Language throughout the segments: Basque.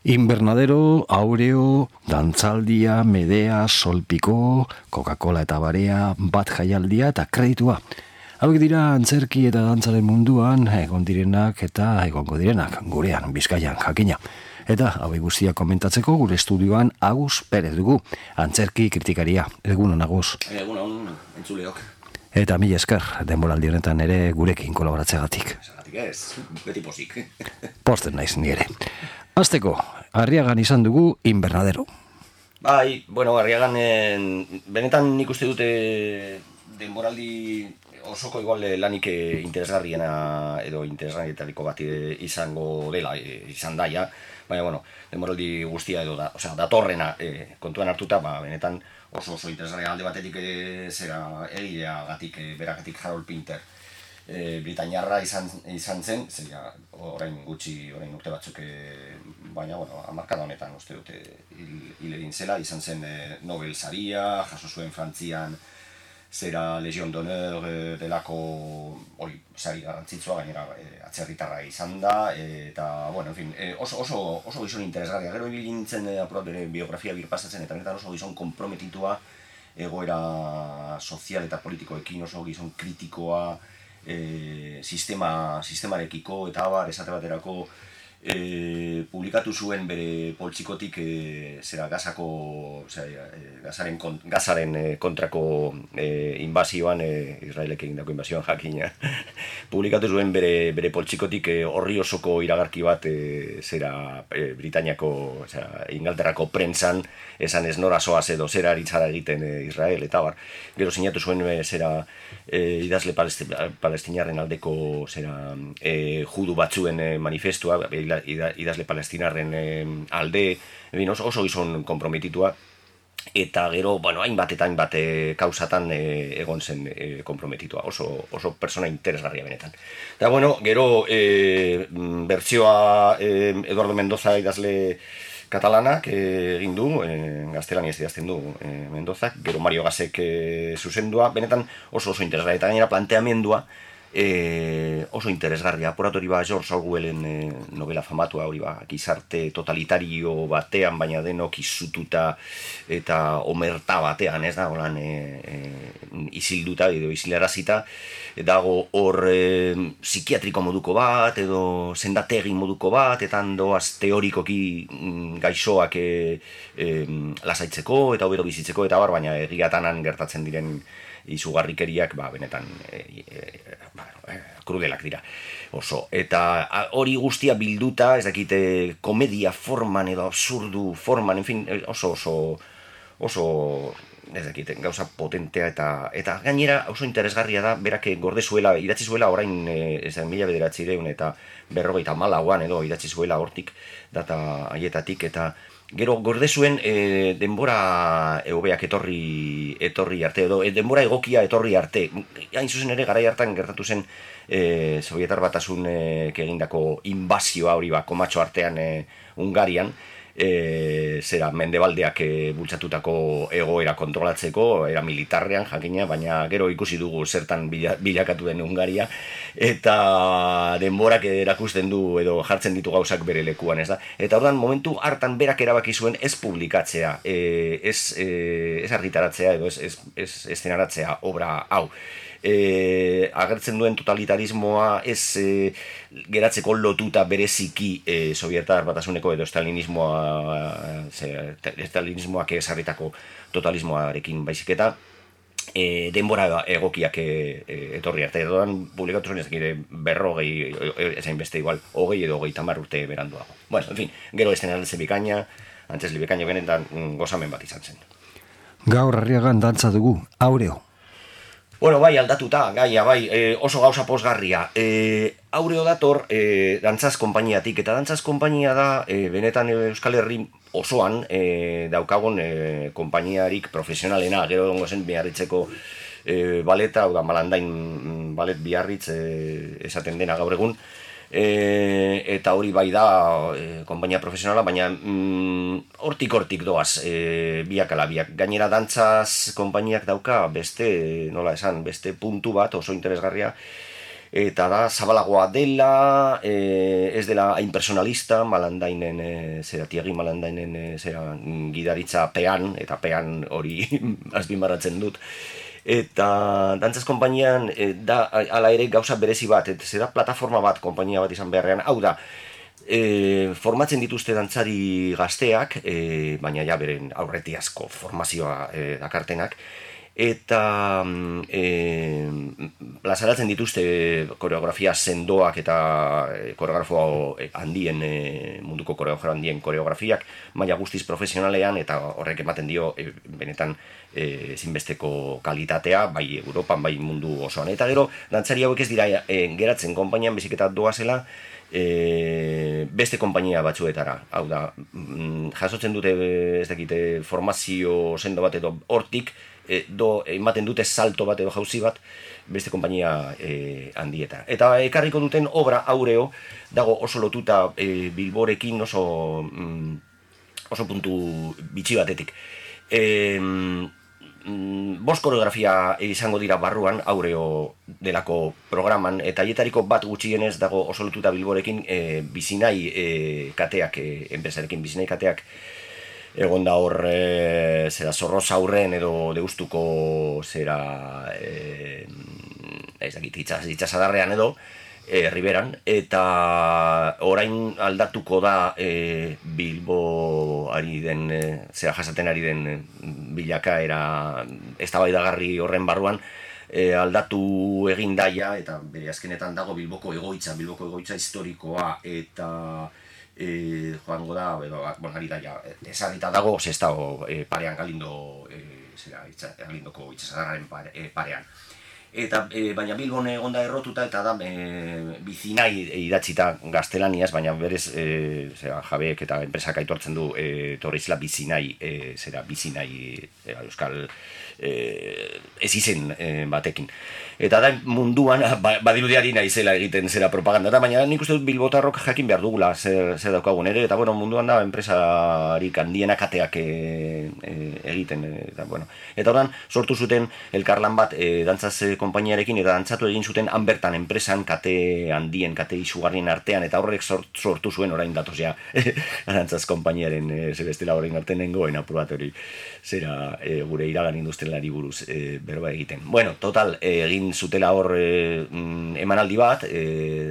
Invernadero, Aureo, Dantzaldia, Medea, Solpiko, Coca-Cola eta Barea, Bat Jaialdia eta Kreditua. Hauek dira antzerki eta dantzaren munduan egon direnak eta egongo direnak, gurean, Bizkaian, jakina. Eta hauek guztiak komentatzeko gure estudioan Agus Perez dugu, antzerki kritikaria. Egunon, Agus. Egunon, entzuleok. Eta mila esker, denboraldi honetan ere gurekin kolaboratzeagatik. Zagatik ez, beti pozik. Posten naiz ni ere. Azteko, Arriagan izan dugu Invernadero. Bai, Arriagan, benetan nik uste dute denboraldi osoko igual lanik interesgarriena edo interesgarrietariko bat izango dela, izan daia. Baina, denboraldi guztia edo da, datorrena kontuan hartuta, benetan oso interesgarria alde batetik zera egileagatik, beragatik Harold Pinter. Britainiarra izan zen, zera orain gutxi, orain urte batzuk, baina, hamarkada honetan uste dute hil egin zela, izan zen Nobel saria, jaso zuen Frantzian, zera Legion d'Honneur delako hori sari garrantzitsua, gainera atzerritarra izan da, eta, oso gizon interesgarria. Gero ibili nintzen bere biografia birpasatzen, eta benetan oso gizon komprometitua, egoera sozial eta politikoekin, oso gizon kritikoa, sistemarekiko eta abar, esate baterako publikatu zuen bere poltsikotik zera gazaren kontrako inbazioan, Israelek egindako inbazioan jakina. Publikatu zuen bere poltsikotik horri osoko iragarki bat zera Britainiako, Inglaterrako prentsan, esan ez nora zoaz edo zera aritzara egiten Israel eta bar. Gero sinatu zuen zera idazle palestinarren aldeko zera judu batzuen manifestua, idazle palestinarren alde, oso gizon komprometitua, eta gero, hainbat eta hainbat kausatan egon zen komprometitua, oso persona interesgarria benetan. Eta gero bertsioa Eduardo Mendoza idazle katalanak egin du, gaztelaniaz idazten du Mendozak, gero Mario Gasek zuzendua, benetan oso interesgarria, eta gainera planteamendua oso interesgarria. Apuratu hori George Orwellen novela famatua hori gizarte totalitario batean, baina denok izututa eta omerta batean, ez da, holan izilduta edo izilarazita, dago hor psikiatriko moduko bat edo sendategi moduko bat, eta handoaz teorikoki gaixoak lasaitzeko eta hobero bizitzeko eta bar, baina egiatanan gertatzen diren izugarrikeriak benetan krudelak dira oso, eta hori guztia bilduta, ez dakite komedia forman edo absurdu forman, en fin, oso ez dakite, gauza potentea eta gainera oso interesgarria da, berak gorde zuela, idatzi zuela orain 1900 eta 54an edo idatzi zuela hortik data haietatik, eta gero gorde zuen denbora hobeak etorri arte, edo denbora egokia etorri arte. Hain zuzen ere garai hartan gertatu zen Sobietar Batasunek egindako inbazioa hori komatxo artean Hungarian, zera mendebaldeak bultzatutako egoera kontrolatzeko, era militarrean jakina, baina gero ikusi dugu zertan bilakatu den Hungaria, eta denborak erakusten du edo jartzen ditu gauzak bere lekuan, ez da? Eta ordan momentu hartan berak erabaki zuen ez publikatzea, ez argitaratzea edo ez eszenaratzea obra hau. Agertzen duen totalitarismoa ez geratzeko lotuta bereziki Sobietar Batasuneko edo estalinismoak esarritako totalismoarekin baizik eta denbora egokiak etorri arte. Edoan publikatu zuen ezakire 40, ezain beste igual, 20 edo 30 urte beranduago. En fin, gero eszenartze bikaina, antzesli bikaina benetan gozamen bat izan zen. Gaur Arriagan dantza dugu, Aureo. Aldatuta, gaia, oso gauza posgarria. Aureo dator dantzaz konpainiatik, eta dantzaz konpainia da, benetan Euskal Herri osoan daukagon konpainiarik profesionalena, gero dongo zen Biarritzeko baleta, hau da Malandain balet Biarritz esaten dena gaur egun, eta hori bai da konpainia profesionala, baina hortik doaz biak ala biak. Gainera dantzaz konpainiak dauka beste puntu bat oso interesgarria, eta da zabalagoa dela, ez dela hain personalista, Malandainen, Tiagi Malandainen gidaritza pean, eta pean hori azpimarratzen dut. Eta dantzaz konpainian da ala ere gauza berezi bat, zera plataforma bat, konpainia bat izan beharrean, hau da, formatzen dituzte dantzari gazteak, baina ja beren aurretiazko formazioa dakartenak, eta plazaratzen dituzte koreografia sendoak eta koreografo handien, munduko koreografo handien koreografiak, maila guztiz profesionalean, eta horrek ematen dio benetan ezinbesteko kalitatea, bai Europan, bai mundu osoan. Eta gero, dantzari hauek ez dira geratzen konpainian biziketa doazela, beste konpainia batzuetara. Hau da, jasotzen dute ez dakite formazio sendo bat edo hortik, ematen dute salto bat edo jauzi bat beste konpainia handieta. Eta ekarriko duten obra Aureo dago oso lotuta Bilborekin oso puntu bitxi batetik. Bost koreografia izango dira barruan Aureo delako programan, eta hietariko bat gutxienez dago oso lotuta Bilborekin bizinai kateak, enpresarekin bizinai kateak egon da hor Zorroza aurren edo Deustuko itxasadarrean edo Riberan, eta orain aldatuko da Bilbo ari den, jasaten ari den bilakaera eztabaidagarri horren barruan, aldatu egin daia, eta bere azkenetan dago Bilboko egoitza historikoa, eta joango da, ari daia, ezagita dago, ez dago parean Galindoko itxasadarraren parean. Eta baina Bilbon egonda errotuta, eta da bizinai idatzita gaztelaniaz, baina berez jabeek eta enpresak aitortzen du torrizela bizinai euskal ez izen batekin. Eta da munduan badirudiari naizela egiten zera propaganda, baina nik uste dut bilbotarrok jakin behar dugula zer daukagun ere, eta munduan da enpresarik handienak kateak egiten. Eta oran sortu zuten elkarlan bat dantzaz konpainiarekin, eta dantzatu egin zuten han bertan enpresan kate handien, kate izugarrien artean, eta horrek sortu zuen orain datoz ja dantzaz konpainiaren zebestela horrein artean nengoen apuratori zera gure iragan industrialari buruz berba egiten. Total, egin zutela hor emanaldi bat,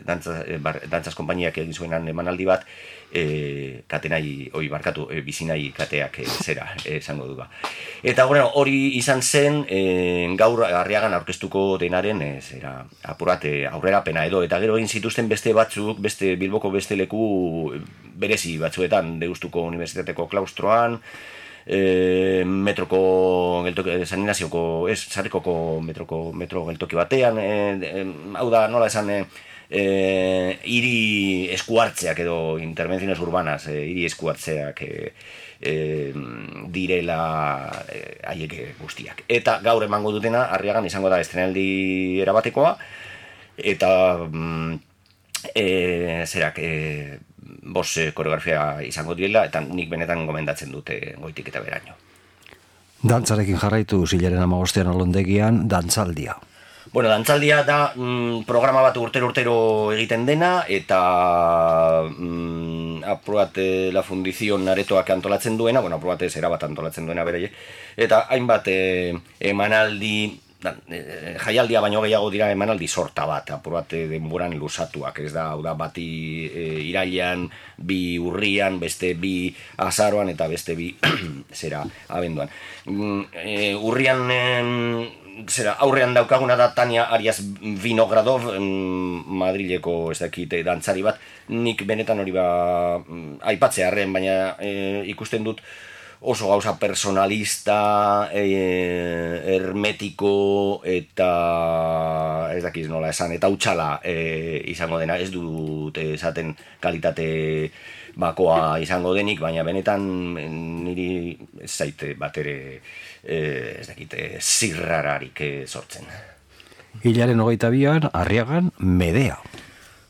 dantzaz konpainiak egin zuenan emanaldi bat, bizinai kateak zera esango du ba. Eta hori izan zen gaur Arriagan aurkeztuko denaren apurate aurrerapena edo, eta gero egin zituzten beste batzuk, beste Bilboko beste leku berezi batzuetan, Deustuko Unibertsitateko klaustroan, metroko San Ignazioko, Sarrikoko metro geltoki batean, hau da, nola esan, hiri eskuartzeak edo intervenciones urbanas, hiri eskuartzeak direla haiek guztiak. Eta gaur emango dutena, Arriagan izango da estrenaldi erabatekoa, eta koreografia izango direla, eta nik benetan gomendatzen dute goitik eta beraino. Dantzarekin jarraitu zilaren 15 alondegian, dantzaldia. Dantzaldia da programa bat urtero egiten dena, eta aprobat la fundizion aretoak antolatzen duena, aprobat zera bat antolatzen duena bere, eta hainbat emanaldi, jaialdia baino gehiago dira emanaldi sorta bat, aprobat denboran lusatuak, ez da, hau da, bati irailean, bi urrian, beste bi azaroan, eta beste bi zera abenduan. Urrian aurrean daukaguna da Tania Arias Vinogradov, Madrileko ez dakite dantzari bat, nik benetan hori aipatzearren, baina ikusten dut oso gauza personalista, hermetiko, eta ez dakiz nola esan, eta utxala izango dena, ez dut esaten kalitate bakoa izango denik, baina benetan niri ez zaite bat ere ez dakite zirrararik sortzen. Hilaren 22an, Arriagan, Medea.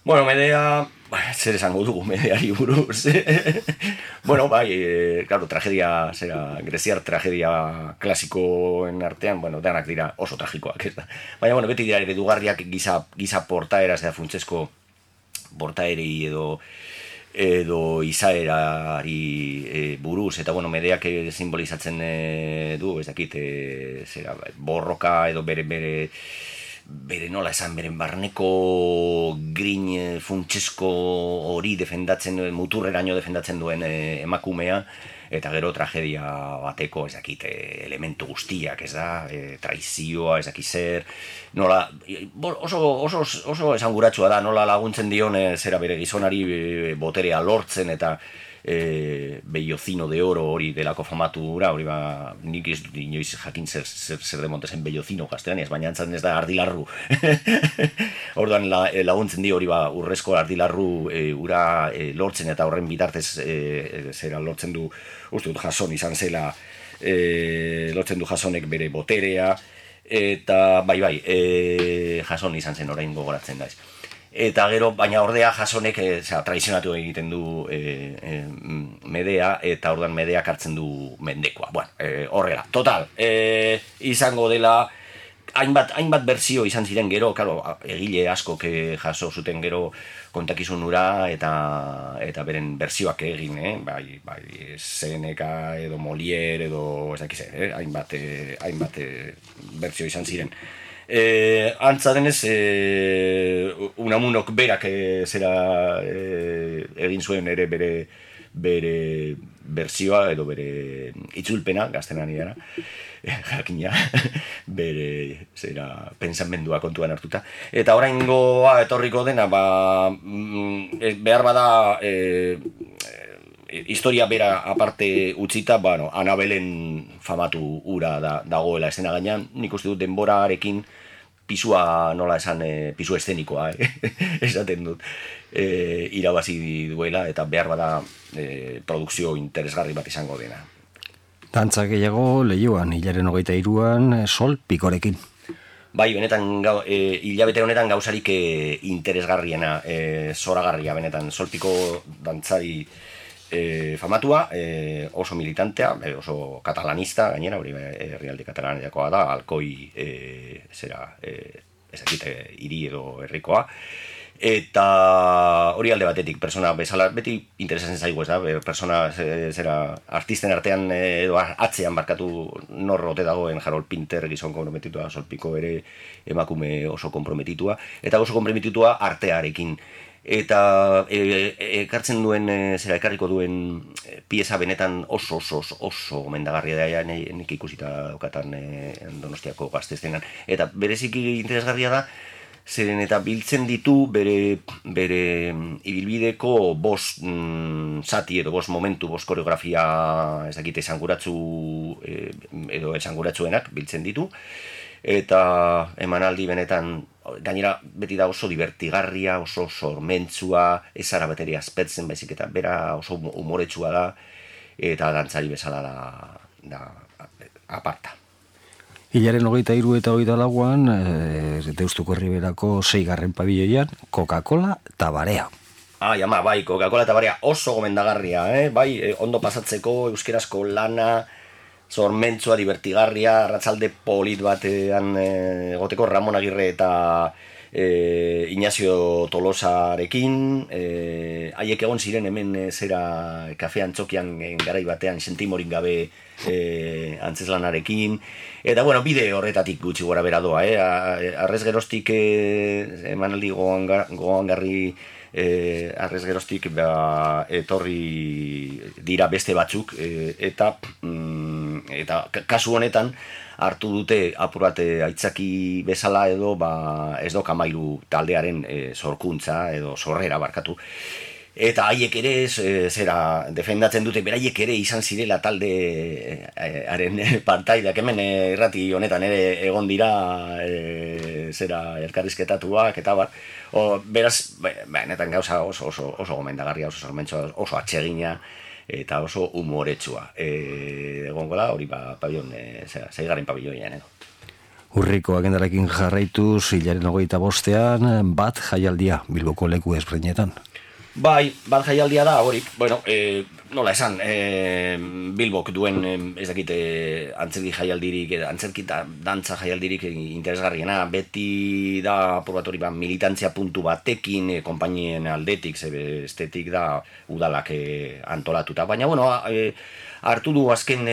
Bueno, Medea, zer esango dugu Medeari buruz. Bueno, bai, claro, tragedia, greziar tragedia klasikoen artean, bueno, denak dira oso tragikoak, ez da. Baina, bueno, beti dira eredugarriak giza portaera, ez da, funtsesko portaerei edo izaerari buruz, eta bueno, Medeak simbolizatzen du, ez dakit, borroka edo bere nola esan, beren barneko grin funtsesko hori defendatzen duen, muturreraino defendatzen duen emakumea, eta gero tragedia bateko, ez dakit, elementu guztiak, ez da, traizioa, ez dakit zer, nola, oso esanguratsua da, nola laguntzen dion zera bere gizonari boterea lortzen, eta bellocino de oro hori delako famatura, hori ba, nik ez dut inoiz jakin zer demontezen bellocino gaztelaniaz, baina antzaren ez da ardilarru. Orduan laguntzen di hori ba, urrezko ardilarru ura lortzen, eta horren bitartez zera lortzen du, uste dut Jason izan zela, lortzen du Jasonek bere boterea, eta bai, Jason izan zen orain gogoratzen daiz. Eta gero, baina ordea Jasonek traizionatu egiten du Medea, eta orduan Medeak hartzen du mendekoa. Bueno, horrela, total, izango dela, hainbat berzio izan ziren gero, claro, egile askok jaso zuten gero kontakizun hura, eta beren berzioak egin, bai Seneca edo Molière edo ez dakiz, hainbat berzio izan ziren. Antza denez, Unamunok berak egin zuen ere bere berzioa edo bere itzulpena, gaztelaniara, jakina, bere pentsamendua kontuan hartuta. Eta oraingoa etorriko dena, behar bada historia bera aparte utzita, bueno, Anabelen famatu ura dagoela esena gainean, nik uste dut denborarekin pisua, nola esan, pisu eszenikoa, esaten dut, irabazi duela, eta behar bada produkzio interesgarri bat izango dena. Dantza gehiago lehioan, hilaren 23an, Sol Pikorekin. Bai, benetan, hilabete honetan gauzarik interesgarriena, zoragarria, benetan, Sol Piko dantzari famatua, oso militantea, oso katalanista, gainera, hori herrialde katalaniakoa da, Alkoi ezakite hiri edo herrikoa, eta hori alde batetik, persona bezala, beti interesatzen zaigu, ez da, persona artisten artean edo atzean barkatu norrote dagoen Harold Pinter gizon komprometitua, Sol Piko ere emakume oso komprometitua, eta oso komprometitua artearekin. Eta ekartzen duen, ekarriko duen pieza benetan oso gomendagarria da, nik ikusita daukatan Donostiako Gazteztenan. Eta bereziki interesgarria da, zeren eta biltzen ditu bere ibilbideko bost zati edo bost momentu, bost koreografia ez dakite esanguratsu edo esanguratsuenak biltzen ditu. Eta emanaldi benetan, gainera beti da oso divertigarria, oso sormentzua, ez zara bateria azpetzen baizik, eta bera oso umoretsua da, eta dantzari bezala da aparta. Hilaren 23 eta 24an, Deustuko Herriberako 6. pabiloian, Coca-Cola eta Barea. Bai, Coca-Cola eta Barea oso gomendagarria, bai, ondo pasatzeko, euskerazko lana, sormentzua, divertigarria, arratsalde polit batean egoteko Ramon Agirre eta Ignacio Tolosarekin, haiek egon ziren hemen kafean txokian garai batean sentimorik gabe antzeslanarekin, eta bueno, bide horretatik gutxi gora bera doa, arrez geroztik emanaldi gogoangarri arrez geroztik etorri dira beste batzuk, eta kasu honetan hartu dute apur bat aitzaki bezala edo ez do Kamairu taldearen sorkuntza edo sorrera barkatu. Eta haiek ere defendatzen dute, beraiek ere izan zirela taldearen partaideak, hemen irrati honetan ere egon dira elkarrizketatuak eta bar. Beraz, benetan gauza oso gomendagarria, oso sormentsua, oso atsegina eta oso umoretsua. Egongo da, hori 6. pabiloian edo. Urriko agendarekin jarraituz, hilaren 25ean, bat jaialdia Bilboko leku ezberdinetan. Bai, bat jaialdia da, hori, bueno, nola esan, Bilbok duen, ez dakit, antzerki jaialdirik, antzerki eta dantza jaialdirik interesgarriena, beti da, apur bat hori, militantzia puntu batekin, konpainien aldetik, estetik da, udalak antolatuta, baina, bueno, hartu du azken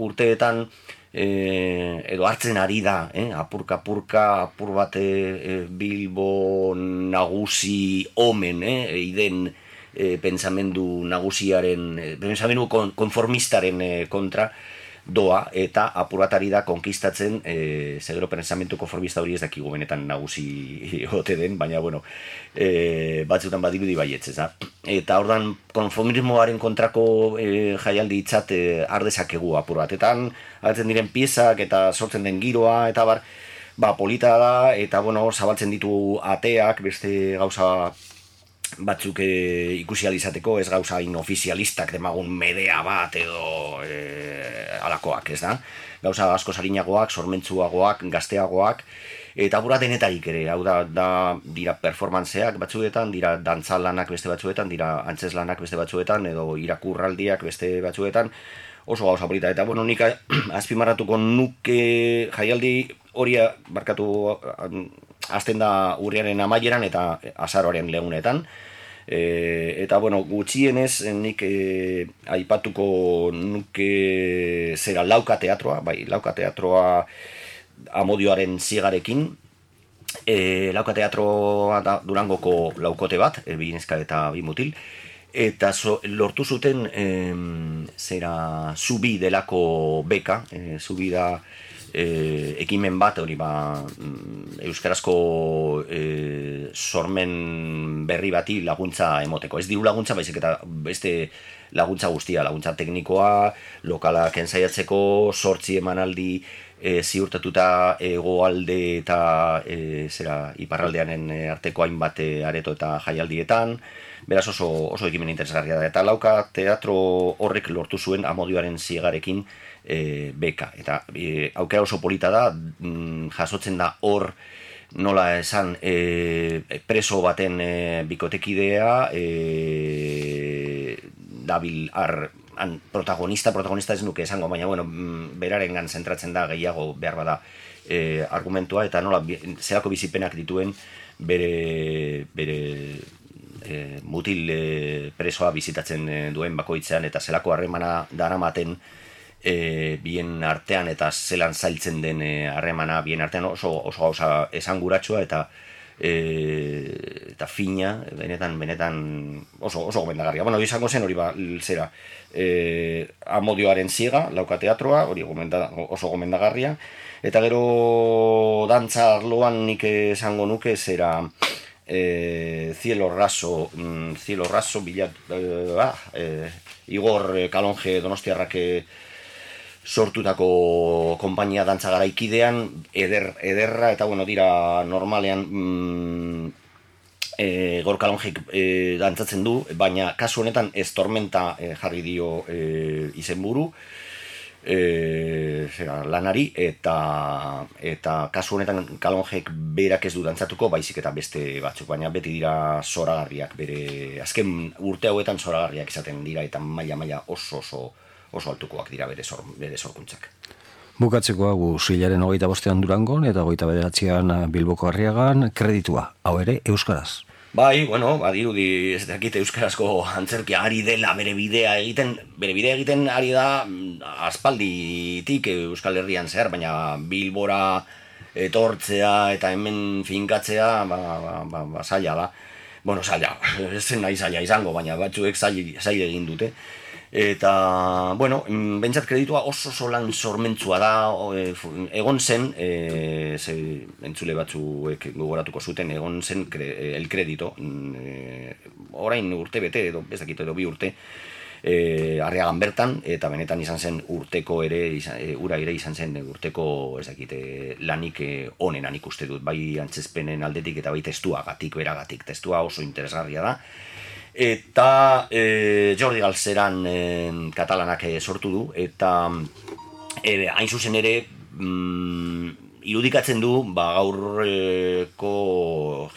urteetan, edo hartzen ari da, apurka, apur bat Bilbo nagusi omen, iden pensamendu nagusiaren, pensamendu konformistaren kontra doa, eta apur bat ari da konkistatzen, segero pensamendu konformista hori ez dakigu benetan nagusi ote den, baina, bueno, batzutan badirudi baietzez, da. Eta ordan konformismoaren kontrako jaialdi itzat ardezakegu apur batetan, agertzen diren piezak eta sortzen den giroa, eta polita da, eta bueno, zabaltzen ditu ateak, beste gauza batzuk ikusi alizateko, ez gauza inofizialistak demagun medea bat edo alakoak, ez da? Gauza asko sarinagoak, sormentzuagoak, gazteagoak, eta apura denetarik ere, hau da dira performanceak batzuetan, dira dantzalanak beste batzuetan, dira antzeslanak beste batzuetan, edo irakurraldiak beste batzuetan, oso gauza polita. Eta, bueno, nik azpimarratuko nuke jaialdi hori barkatu azten da urriaren amaieran eta azaroaren legunetan. Eta, bueno, gutxienez nik aipatuko nuke zera Lauka teatroa, Lauka teatroa Amodioaren zigarekin. Lauka teatroa da Durangoko laukote bat, bi neska eta bi mutil. Eta lortu zuten zera Zubi delako beka, Zubi da ekimen bat, hori euskarazko sormen berri bati laguntza emoteko. Ez diru laguntza, baizik eta beste laguntza guztia, laguntza teknikoa, lokalak ensaiatzeko, 8 emanaldi ziurtatuta hegoalde eta iparraldearen arteko hainbat areto eta jaialdietan. Beraz oso ekimen interesgarria da. Eta Lauka teatro horrek lortu zuen Amodioaren zigarekin beka. Eta aukera oso polita da, jasotzen da hor nola esan preso baten bikotekidea, dabil protagonista ez nuke esango, baina bueno, berarengan zentratzen da gehiago behar bada argumentua, eta nola zelako bizipenak dituen bere mutil presoa bizitatzen duen bakoitzean, eta zelako harremana daramaten bien artean, eta zelan zailtzen den harremana bien artean, oso gauza esanguratsua eta fina, benetan oso gomendagarria. Bueno, izango zen hori zera Amodioaren ziega, Lauka teatroa, hori oso gomendagarria, eta gero dantza arloan nik esango nuke zera Cielo Raso, Igor Kalonje Donostiarrak sortutako konpainia dantza garaikidean, ederra, eta bueno, dira normalean Igor Kalonjek dantzatzen du, baina kasu honetan ez Tormenta jarri dio izenburu lanari, eta kasu honetan Kalonjek berak ez du dantzatuko, baizik eta beste batzuk, baina beti dira zoragarriak, bere azken urte hauetan zoragarriak izaten dira, eta maila oso altukoak dira bere sorkuntzak. Bukatzeko hau hilaren 25ean Durangon eta 29ean Bilboko Arriagan, kreditua, hau ere euskaraz. Bai, bueno, badirudi ez dakit euskarazko antzerkia ari dela bere bidea egiten ari da aspalditik Euskal Herrian zehar, baina Bilbora etortzea eta hemen finkatzea zaila da. Bueno, zaila, ez zen nahi zaila izango, baina batzuek zaila egin dute. Eta, bueno, bentsat kreditua oso lan sormentzua da, egon zen, entzule batzuek gogoratuko zuten, egon zen el kredito, orain urte bete, edo ez dakit, edo 2 urte, Arriagan bertan, eta benetan izan zen urteko ere, ura ere izan zen urteko, ez dakit, lanik onenan ikuste dut, bai antzezpenen aldetik eta bai testuagatik, beragatik, testua oso interesgarria da. Eta Jordi Galzeran katalanak sortu du, eta hain zuzen ere irudikatzen du gaurko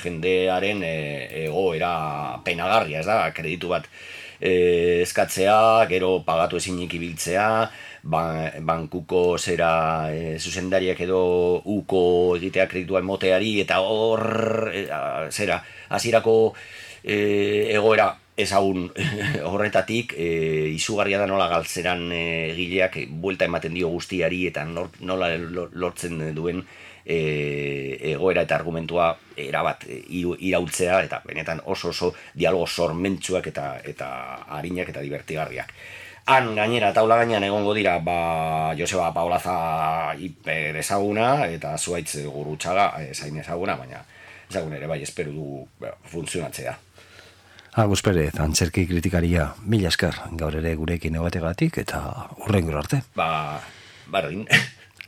jendearen egoera penagarria, ez da, kreditu bat eskatzea, gero pagatu ezinik ibiltzea, bankuko zuzendariak edo uko egitea kreditua emoteari, eta hor hasierako egoera ezagun horretatik izugarria da nola galtzeran egileak buelta ematen dio guztiari eta nola lortzen duen egoera eta argumentua erabat irautzea, eta benetan oso dialogo sormentsuak eta arinak eta divertigarriak. Han gainera taula gainean egongo dira Joseba Paolaza hiper ezaguna eta Zuaitz Gurrutxaga zain ezaguna, baina ezagun ere bai espero du funtzionatzea. Agus Perez, antzerki kritikaria, mila esker gaur ere gurekin egotegatik eta hurrengora arte. Bardin.